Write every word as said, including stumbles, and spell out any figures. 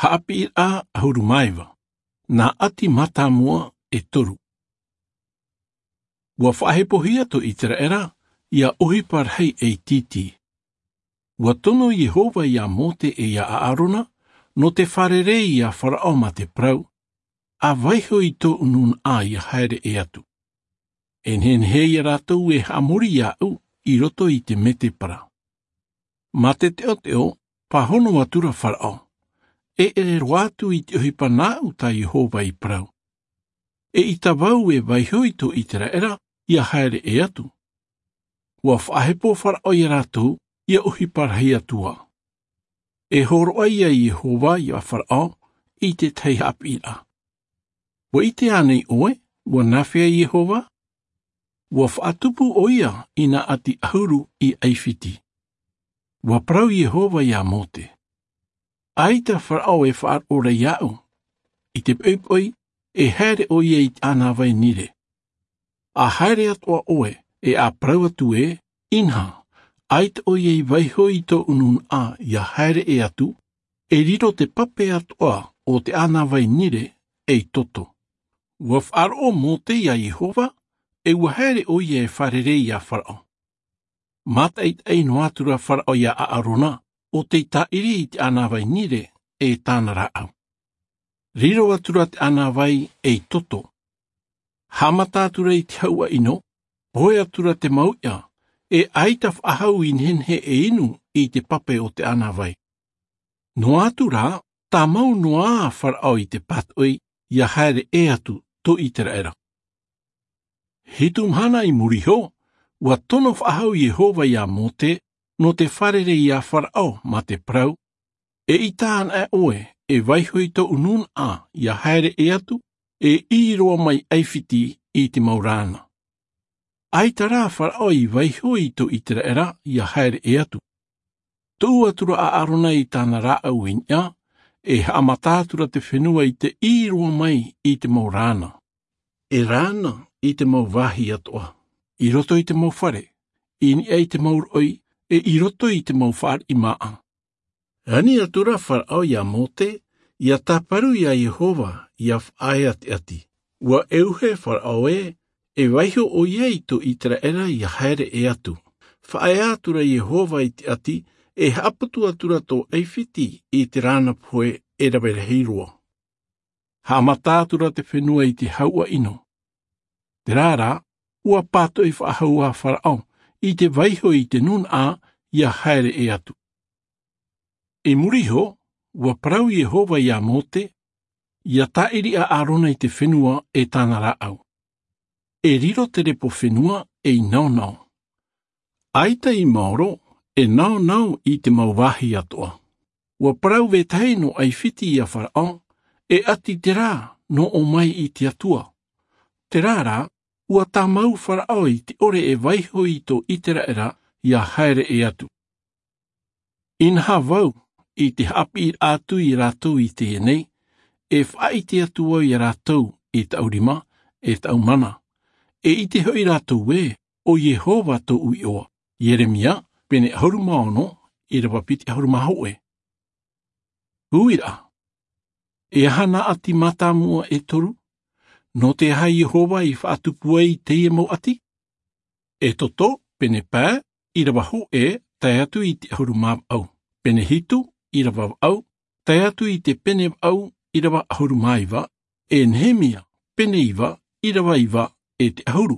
Haʻapiʻiraʻa ʻahuru mā iva. Nā ʻati mātāmua e toru. Ua faʻahepohia tō ʻIteraʻera ia ʻohipa rahi ʻeitiiti. Ua tono Iehova ia Mōte e ia ʻĀrona nō te fārerei ia Faraʻo mā te parau, ʻa vaiho i tōʻu nūnaʻa ia haere ʻē atu. E nehenehe ia rātou e haʻamori iāʻu i roto i te mētēpara. Mā te teʻoteʻo, pāhono atura Faraʻo, e ʻere roa atu i te ʻohipa nāʻu tā Iehova i parau. Eʻita vau e vaiho i tō ʻIteraʻera ia haere ʻē atu. Ua faʻahepo Faraʻo ia rātou ia ʻohipa rahi atu ā. E hōroʻa ia Iehova ia Faraʻo i te tahi haʻapiʻiraʻa. Ua ʻite ānei ʻoe ua nāfea Iehova? Ua faʻatupu ʻoia i nā ʻati ʻahuru i ʻAifiti. Ua parau Iehova ia Mōte, ʻaita Faraʻo e faʻaroʻo ra iāʻu. I te poʻipoʻi, e haere ʻoia i te ʻānāvai Nile. ʻA haere atoʻa ʻoe, e ʻa parau atu ē, inaha, ʻaita ʻoia i vaiho i tōʻu nūnaʻa ia haere ʻē atu, e riro te pape atoʻa o te ʻānāvai Nile ei toto. Ua faʻaroʻo Mōte ia Iehova, e ua haere ʻoia e fārerei ia Faraʻo. Mātaʻitaʻi noa atura Faraʻo ia ʻĀrona ʻo tei tāʻiri i te ʻānāvai Nile e tāna rāʻau. Riro atura te ʻānāvai ei toto. Haʻamata atura i te hauʻa ʻino, pohe atura te mau iʻa, e ʻaita faʻahou i nehenehe e inu i te pape o te ʻānāvai. Noa atu rā, tāmau noa ā Faraʻo i te pātoʻi ia haere ʻē atu tō ʻIteraʻera. Hitu mahana i muri iho, ua tono faʻahou Iehova ia Mōte nō te fārerei ia Faraʻo mā te parau, eʻita anaʻe ʻoe e vaiho i tōʻu nūnaʻa ia haere ʻē atu, e ʻī roa mai ʻAifiti i te mau rāna. ʻAita rā Faraʻo i vaiho i tō ʻIteraʻera ia haere ʻē atu. Tuʻu atura ʻĀrona i tāna rāʻau i niʻa, e haʻamata atura te fenua i te ʻī roa mai i te mau rāna. E rāna i te mau vāhi atoʻa, i roto i te mau fare, i niʻa i te mau roʻi, e i roto i te mau fāriʻi māʻa. Ani atura Faraʻo ia Mōte, ia tāparu ia Iehova, ia faʻaea te ʻati. Ua ʻeuhe Faraʻo ē, e vaiho ʻoia i tō ʻIteraʻera ia haere ʻē atu. Faʻaea atura Iehova i te ʻati, e haʻaputu atura tō ʻAifiti i te rāna pohe e rave rahi roa. Haʻamata atura te fenua i te hauʻa ʻino. Terā rā, ua pātoʻi faʻahou ā Faraʻo i te vaiho i te nūnaʻa ia haere ʻē atu. I muri iho, ua parau Iehova ia Mōte, ia tāʻiri ʻa ʻĀrona i te fenua e tāna rāʻau. E riro te repo fenua ei naonao. ʻAita i maoro, e naonao i te mau vāhi atoʻa. Ua parau vetahi nō ʻAifiti ia Faraʻo, e ʻati terā nō ʻō mai i te Atua. Terā rā, ua tāmau Faraʻo i te ʻore e vaiho i tō ʻIteraʻera ia haere ʻē atu. Inaha vau, i te haʻapiʻiraʻa atu ia rātou i teie nei, e faʻaʻite atu vau ia rātou i taʻu rima, e taʻu mana. E ʻite hoʻi rātou ē, ʻo Iehova tōʻu iʻoa. Ieremia, pene ʻahuru mā ono, ʻīrava piti ʻahuru mā hōʻē. Uiraʻa. E aha nā ʻati mātāmua e toru? Nō te aha Iehova i faʻatupu ai teie mau ʻati? Exodo, pene pae, ʻīrava hōʻē, tae atu i te ʻahuru mā vaʻu. Pene hitu, ʻīrava vaʻu, tae atu i te pene vaʻu, ʻīrava ʻahuru mā iva, e Nehemia, pene iva, ʻīrava iva, e te ʻahuru.